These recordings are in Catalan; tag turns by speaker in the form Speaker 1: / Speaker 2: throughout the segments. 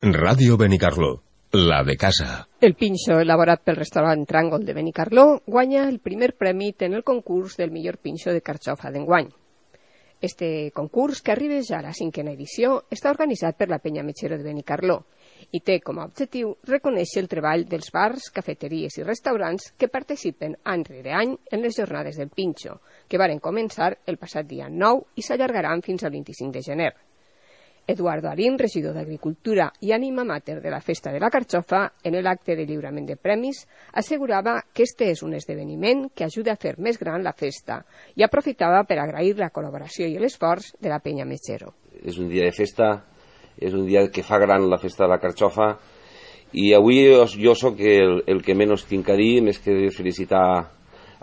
Speaker 1: Ràdio Benicarló, la de casa.
Speaker 2: El pinxo elaborat pel restaurant Tràngol de Benicarló guanya el primer premi en el concurs del millor pinxo de carxofa d'enguany. Este concurs, que arriba ja a la 5a edició, està organitzat per la Penya Metxero de Benicarló i té com a objectiu reconèixer el treball dels bars, cafeteries i restaurants que participen any rere any en les jornades del pinxo, que varen començar el passat dia 9 i s'allargaran fins al 25 de gener. Eduardo Arín, regidor d'Agricultura i ànima mater de la Festa de la Carxofa, en l'acte de lliurament de premis, assegurava que este és un esdeveniment que ajuda a fer més gran la festa i aprofitava per agrair la col·laboració i l'esforç de la Penya Metxero.
Speaker 3: És un dia de festa, és un dia que fa gran la Festa de la Carxofa i avui jo sóc el que menys tinc a dir, més que felicitar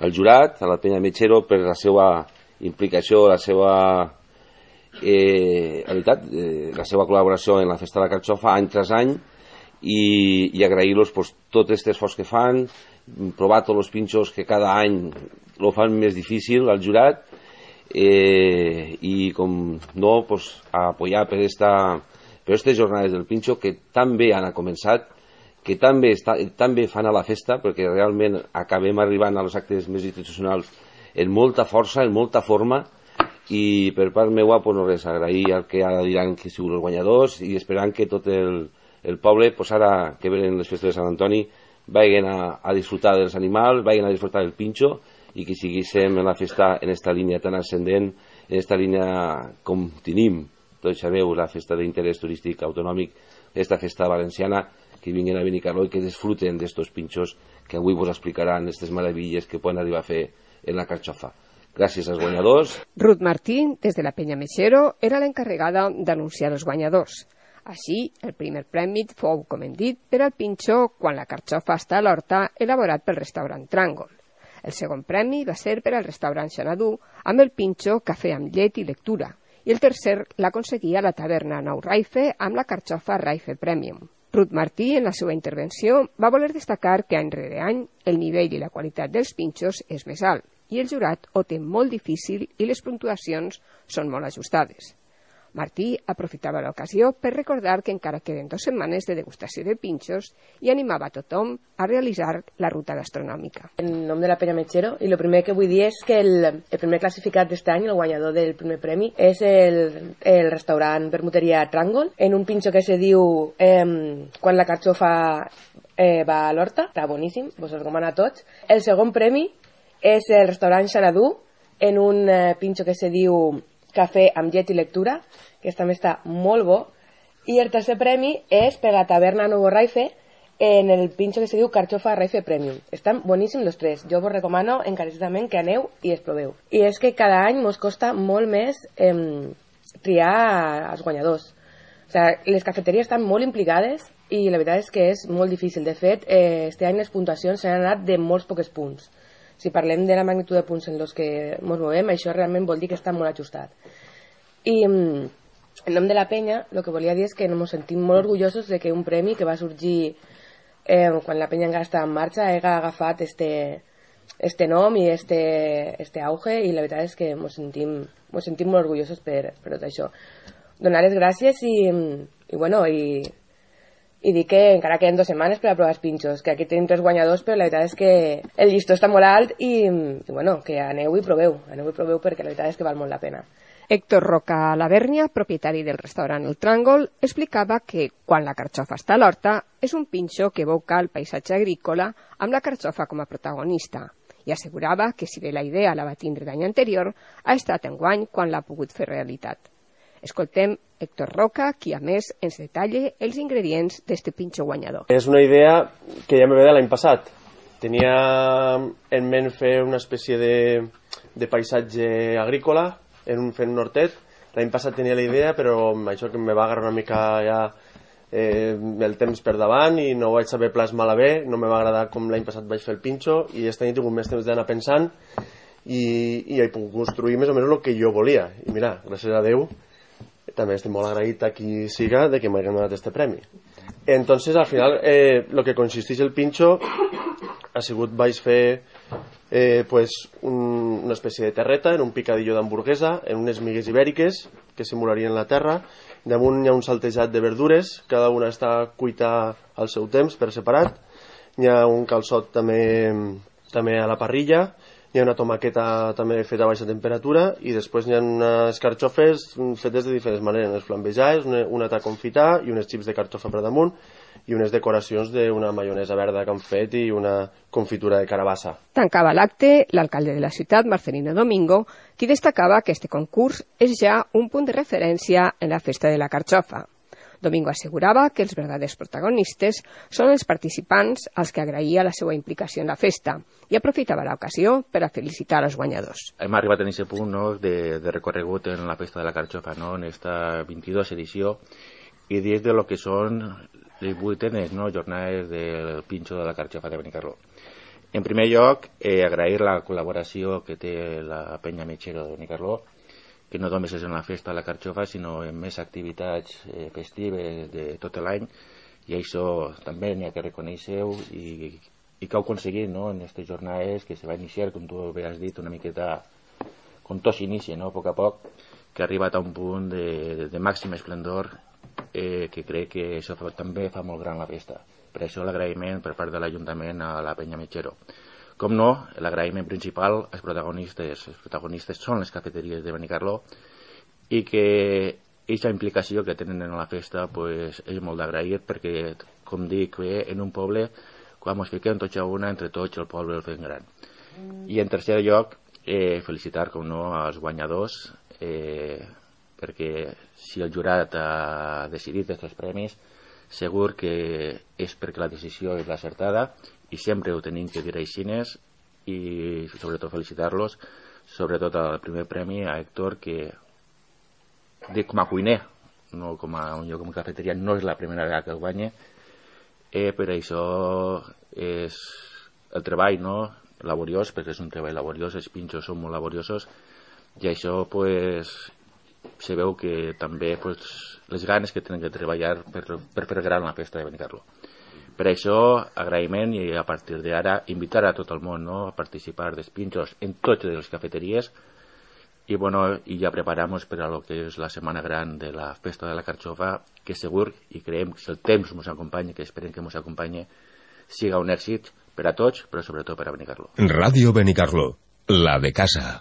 Speaker 3: al jurat, a la Penya Metxero, per la seva implicació, la seva la seva col·laboració en la Festa de la Carxofa any tras any i agrair-los tot aquest esforç que fan, provar tots els pinxos que cada any lo fan més difícil al jurat i com no apoyar per aquestes jornades del pinxo que tan bé han començat, que tan bé fan a la festa, perquè realment acabem arribant als actes més institucionals en molta força, en molta forma, i per part meua no res, agrair al que ara diran que siguin els guanyadors i esperant que tot el poble ara que venen les festes de Sant Antoni vagin a disfrutar dels animals, vagin a disfrutar del pinxo i que siguíssim en la festa en esta línia tan ascendent, en esta línia com tenim, tots sabeu, la festa d'interès turístic autonòmic, aquesta festa valenciana, que vinguin a Benicarló i que disfruten d'estos pinxos que avui vos explicaran aquestes meravilles que poden arribar a fer en la Carxofa. Gràcies als guanyadors.
Speaker 2: Ruth Martín, des de la Penya Metxero, era l'encarregada d'anunciar els guanyadors. Així, el primer premi fou, com hem dit, per al pinxo quan la carxofa està a l'horta, elaborat pel restaurant Tràngol. El segon premi va ser per al restaurant Xanadu, amb el pinxo cafè amb llet i lectura, i el tercer l'aconseguia la taverna Nou Raife amb la carxofa Raife Premium. Ruth Martí, en la seva intervenció, va voler destacar que any rere any el nivell i la qualitat dels pinxos és més alt, i el jurat ho té molt difícil i les puntuacions són molt ajustades. Martí aprofitava l'ocasió per recordar que encara queden 2 setmanes de degustació de pinxos i animava a tothom a realitzar la ruta gastronòmica.
Speaker 4: En nom de la Penya Metxero, i el primer que vull dir és que el primer classificat d'aquest any, el guanyador del primer premi, és el restaurant Vermuteria Tràngol, en un pinxo que se diu Quan la carxofa va a l'horta, està boníssim, vos el recomano a tots. El segon premi és el restaurant Xanadu, en un pinxo que se diu Cafè amb llet i lectura, que també està molt bo. I el tercer premi és per la taverna Nou Raife, en el pinxo que se diu Carxofa Raife Premium. Estan boníssims els tres. Jo vos recomano encarecidament que aneu i els proveu. I és que cada any mos costa molt més triar els guanyadors. O sigui, les cafeteries estan molt implicades i la veritat és que és molt difícil. De fet, este any les puntuacions s'han anat de molts pocs punts. Si parlem de la magnitud de punts en els que ens movem, això realment vol dir que està molt ajustat. I en nom de la Penya, el que volia dir és que ens sentim molt orgullosos de que un premi que va sorgir quan la Penya encara estava en marxa hagi agafat este nom i este auge, i la veritat és que ens sentim molt orgullosos per tot això. Donar les gràcies i dir que encara queden 2 setmanes per a provar els pinxos, que aquí tenim 3 guanyadors, però la veritat és que el llistó està molt alt i que aneu i proveu perquè la veritat és que val molt la pena.
Speaker 2: Héctor Roca Lavèrnia, propietari del restaurant El Tràngol, explicava que quan la carxofa està a l'horta és un pinxo que evoca el paisatge agrícola amb la carxofa com a protagonista, i assegurava que si bé la idea la va tindre l'any anterior, ha estat enguany quan l'ha pogut fer realitat. Escoltem Héctor Roca, qui a més ens detalla els ingredients d'este pinxo guanyador.
Speaker 5: És una idea que ja me ve de l'any passat. Tenia en ment fer una espècie de paisatge agrícola fent un hortet. L'any passat tenia la idea, però això que me va agarrar una mica ja el temps per davant i no ho vaig saber plasmar bé, no me va agradar com l'any passat vaig fer el pinxo, i aquest any he tingut més temps d'anar pensant i he pogut construir més o menys el que jo volia. I mira, gràcies a Déu, també estic molt agraït a qui siga de que m'hagi donat este premi. Entonces, al final, lo que consisteix el pinxo ha sigut, vaig fer una espècie de terreta en un picadillo d'hamburguesa, en unes migues ibèriques que simularien la terra, Damunt hi ha un saltejat de verdures, cada una està cuita al seu temps per separat. Hi ha un calçot també a la parrilla, hi ha una tomaqueta també feta a baixa temperatura i després hi ha unes carxofes fetes de diferents maneres, unes flambejades, una ta confitar i unes xips de carxofa per damunt i unes decoracions d'una maionesa verda que han fet i una confitura de carabassa.
Speaker 2: Tancava l'acte l'alcalde de la ciutat, Marcelino Domingo, qui destacava que este concurs és ja un punt de referència en la festa de la carxofa. Domingo assegurava que els verdaders protagonistes són els participants als que agraïa la seva implicació en la festa i aprofitava l'ocasió per a felicitar els guanyadors.
Speaker 6: Hem arribat en aquest punt, no, de recorregut en la festa de la carxofa, no, en esta 22 edició, i dins de lo que són les 8enes, no, jornades del pinxo de la carxofa de Benicarló. En primer lloc, agrair la col·laboració que té la penya Metxero de Benicarló, que no només és en la festa de la carxofa, sinó en més activitats festives de tot l'any, i això també n'hi ha que reconèixer-ho i que heu aconseguit, no, en aquestes jornades que se va iniciar, com tu bé has dit, una miqueta com tot s'inicia, no, a poc a poc, que ha arribat a un punt de màxim esplendor, que crec que això també fa molt gran la festa. Per això l'agraïment per part de l'Ajuntament a la penya Metxero. Com no, l'agraïment principal als protagonistes. Els protagonistes són les cafeteries de Benicarló i que aquesta implicació que tenen en la festa pues, és molt d'agrair perquè, com dic, en un poble, quan ens fiquem tots a una, entre tots el poble el fem gran. I en tercer lloc, felicitar, com no, als guanyadors, perquè si el jurat ha decidit aquests premis, segur que és perquè la decisió és l'acertada i sempre ho tenim que dir així i sobretot felicitar-los, sobretot al primer premi a Héctor, que dic com a cuiner, no com a un lloc com a cafeteria, no és la primera vegada que el guanya, per això és el treball, no, laboriós, perquè és un treball laboriós, els pinxos són molt laboriosos i això pues, se veu que també pues, les ganes que tenen que treballar per fer gran la festa de Benicarló. Per això, agraïment i a partir d'ara invitar a tot el món, no, a participar dels pinxos en totes les cafeteries i, bueno, i ja preparamos per a lo que és la setmana gran de la festa de la carxofa, que segur, i creiem que si el temps ens acompanya, que esperem que ens acompanyi, siga un èxit per a tots, però sobretot per a Benicarló.
Speaker 1: Radio Benicarló, la de casa.